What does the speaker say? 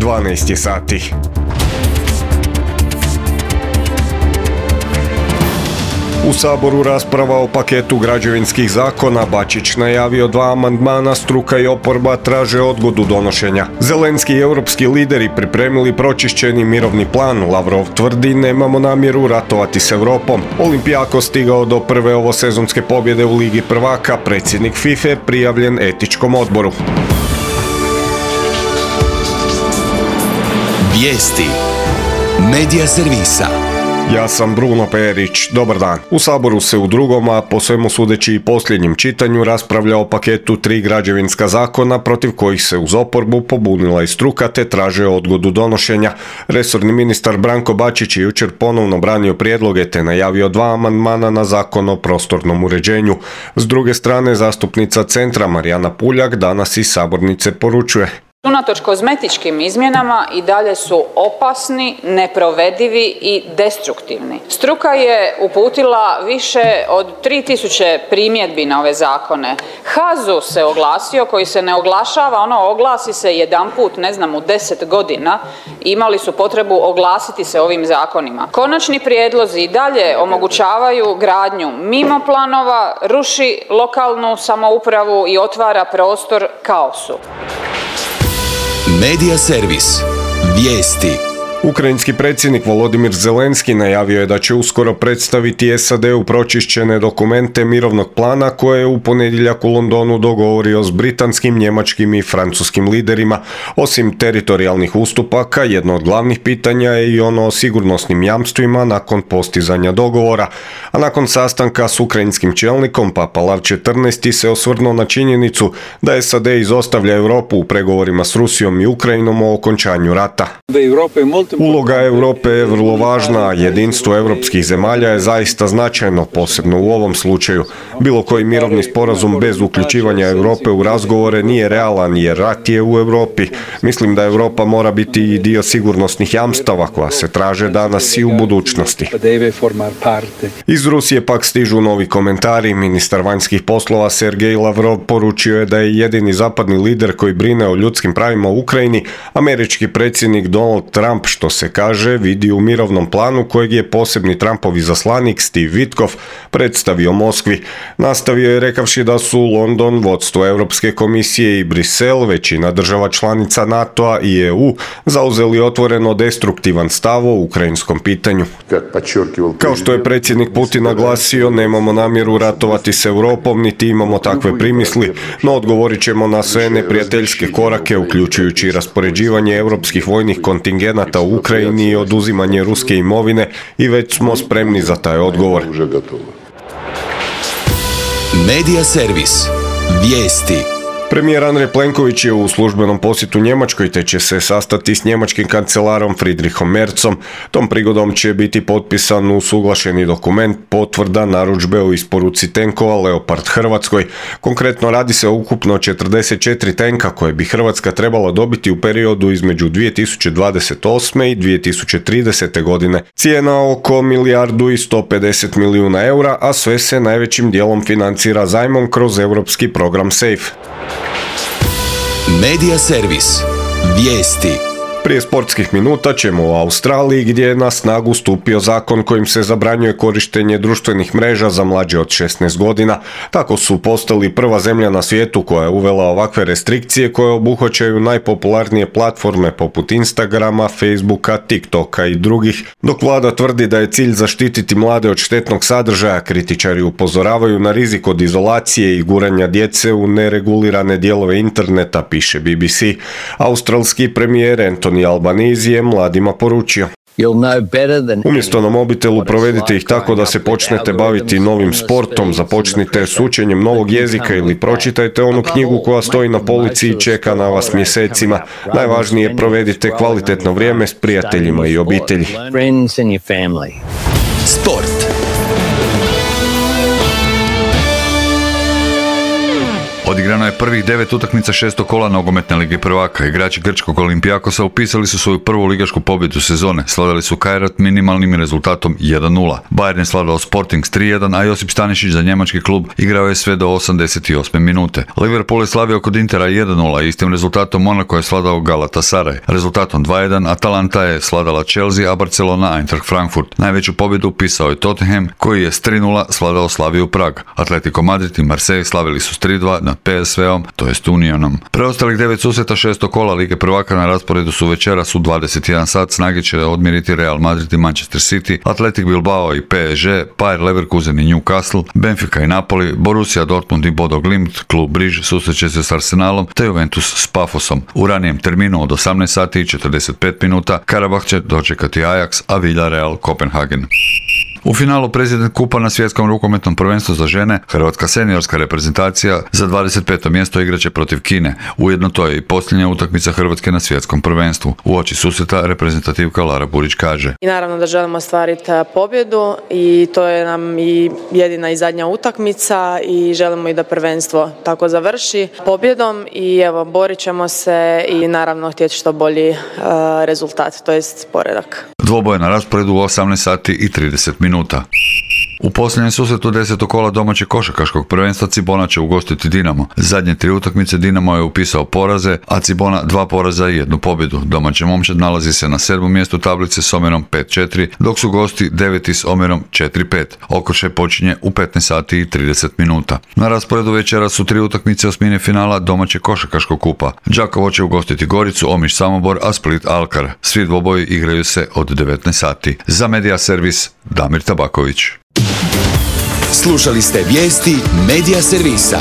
12 sati. U Saboru rasprava o paketu građevinskih zakona. Bačić najavio 2 amandmana, struka i oporba traže odgodu donošenja. Zelenski i europski lideri pripremili pročišćeni mirovni plan. Lavrov tvrdi nemamo namjeru ratovati s Europom. Olimpijakos stigao do prve ovosezonske pobjede u Ligi prvaka. Predsjednik FIFA prijavljen etičkom odboru. Vijesti Medija servisa. Ja sam Bruno Perić, dobar dan. U Saboru se u drugom, a po svemu sudeći i posljednjem čitanju raspravlja o paketu 3 građevinska zakona protiv kojih se uz oporbu pobunila i struka te traže odgodu donošenja. Resorni ministar Branko Bačić je jučer ponovno branio prijedloge te najavio 2 amandmana na zakon o prostornom uređenju. S druge strane, zastupnica Centra Marijana Puljak danas iz sabornice poručuje: unatoč kozmetičkim izmjenama i dalje su opasni, neprovedivi i destruktivni. Struka je uputila više od 3000 primjedbi na ove zakone. HAZU se oglasio, koji se ne oglašava, oglasi se jedanput, u 10 godina. Imali su potrebu oglasiti se ovim zakonima. Konačni prijedlozi i dalje omogućavaju gradnju mimo planova, ruši lokalnu samoupravu i otvara prostor kaosu. Medija servis. Vijesti. Ukrajinski predsjednik Volodimir Zelenski najavio je da će uskoro predstaviti SAD-u pročišćene dokumente mirovnog plana koje je u ponedjeljak u Londonu dogovorio s britanskim, njemačkim i francuskim liderima. Osim teritorijalnih ustupaka, jedno od glavnih pitanja je i ono o sigurnosnim jamstvima nakon postizanja dogovora. A nakon sastanka s ukrajinskim čelnikom, Papa Lav XIV se osvrnuo na činjenicu da SAD izostavlja Europu u pregovorima s Rusijom i Ukrajinom o okončanju rata. Uloga Europe je vrlo važna, a jedinstvo europskih zemalja je zaista značajno, posebno u ovom slučaju. Bilo koji mirovni sporazum bez uključivanja Europe u razgovore nije realan jer rat je u Europi. Mislim da Europa mora biti i dio sigurnosnih jamstava koja se traže danas i u budućnosti. Iz Rusije pak stižu novi komentari. Ministar vanjskih poslova Sergej Lavrov poručio je da je jedini zapadni lider koji brine o ljudskim pravima u Ukrajini američki predsjednik Donald Trump, što se kaže, vidi u mirovnom planu kojeg je posebni Trumpov izaslanik Steve Witkoff predstavio Moskvi. Nastavio je rekavši da su London, vodstvo Europske komisije i Brisel, većina država članica NATO-a i EU, zauzeli otvoreno destruktivan stav o ukrajinskom pitanju. Kao što je predsjednik Putin naglasio, nemamo namjeru ratovati s Europom, niti imamo takve primisli, no odgovorit ćemo na sve neprijateljske korake, uključujući raspoređivanje europskih vojnih kontingenata u Ukrajini i oduzimanje ruske imovine, i već smo spremni za taj odgovor. Medija servis. Vijesti. Premijer Andrej Plenković je u službenom posjetu Njemačkoj te će se sastati s njemačkim kancelarom Friedrichom Merzom. Tom prigodom će biti potpisan usuglašeni dokument potvrda narudžbe o isporuci tenkova Leopard Hrvatskoj. Konkretno radi se o ukupno 44 tenka koje bi Hrvatska trebala dobiti u periodu između 2028. i 2030. godine. Cijena oko 1,150 milijuna eura, a sve se najvećim dijelom financira zajmom kroz europski program SAFE. Medija servis. Vijesti. Prije sportskih minuta ćemo u Australiji, gdje je na snagu stupio zakon kojim se zabranjuje korištenje društvenih mreža za mlađe od 16 godina. Tako su postali prva zemlja na svijetu koja je uvela ovakve restrikcije koje obuhvaćaju najpopularnije platforme poput Instagrama, Facebooka, TikToka i drugih. Dok vlada tvrdi da je cilj zaštititi mlade od štetnog sadržaja, kritičari upozoravaju na rizik od izolacije i guranja djece u neregulirane dijelove interneta, piše BBC. Australski premijer Anthony Albanese je mladima poručio: umjesto na mobitelu provedite ih tako da se počnete baviti novim sportom, započnite s učenjem novog jezika ili pročitajte onu knjigu koja stoji na polici i čeka na vas mjesecima. Najvažnije, provedite kvalitetno vrijeme s prijateljima i obitelji. Sport. Odigrano je prvih 9 utakmica 6. kola nogometne lige prvaka. Igrači grčkog Olympiakosa upisali su svoju prvu ligašku pobjedu sezone. Slavili su Kairat minimalnim rezultatom 1:0. Bayern je slavljao Sporting s 3:1, a Josip Stanišić za njemački klub igrao je sve do 88. minute. Liverpool je slavio kod Intera 1:0, istim rezultatom Monaco je slavljao Galatasaray. Rezultatom 2:1 Atalanta je slavljala Chelsea, a Barcelona Eintracht Frankfurt. Najveću pobjedu upisao je Tottenham, koji je s 3:0 slavljao Slaviju Prag. Atletico Madrid i Marseille slavili su s 3:2 nad PSV-om, to jest Unionom. Preostalih 9 susreta 6. kola lige prvaka na rasporedu su večeras u 21 sat. Snage će odmiriti Real Madrid i Manchester City, Athletic Bilbao i PSG, Bayer Leverkusen i Newcastle, Benfica i Napoli, Borussia Dortmund i Bodo Glimt, klub Briž susreće se s Arsenalom, te Juventus s Pafosom. U ranijem terminu od 18 sati i 45 minuta Karabah će dočekati Ajax, a Villarreal Kopenhagen. U finalu President kupa na svjetskom rukometnom prvenstvu za žene, hrvatska seniorska reprezentacija za 25. mjesto igraće protiv Kine. Ujedno to je i posljednja utakmica Hrvatske na svjetskom prvenstvu. Uoči susreta reprezentativka Lara Burić kaže: I naravno da želimo ostvariti pobjedu i to je nam i jedina i zadnja utakmica i želimo i da prvenstvo tako završi pobjedom i evo borit ćemo se i naravno htjeti što bolji rezultat, to jest poredak. Dvoboj na rasporedu u 18 sati i 30 minuta. U posljednjem susretu 10. kola domaćeg košarkaškog prvenstva Cibona će ugostiti Dinamo. Zadnje 3 utakmice Dinamo je upisao poraze, a Cibona 2 poraza i 1 pobjedu. Domaća momčad nalazi se na 7. mjestu tablice s omjerom 5:4, dok su gosti 9. s omjerom 4:5. Okršaj počinje u 15 sati i 30 minuta. Na rasporedu večera su 3 utakmice osmine finala domaćeg košarkaškog kupa. Đakovo će ugostiti Goricu, Omiš Samobor, a Split Alkar. Svi dvoboji igraju se od 19 sati. Za Media Servis Damir Tabaković. Slušali ste vijesti Media Servisa.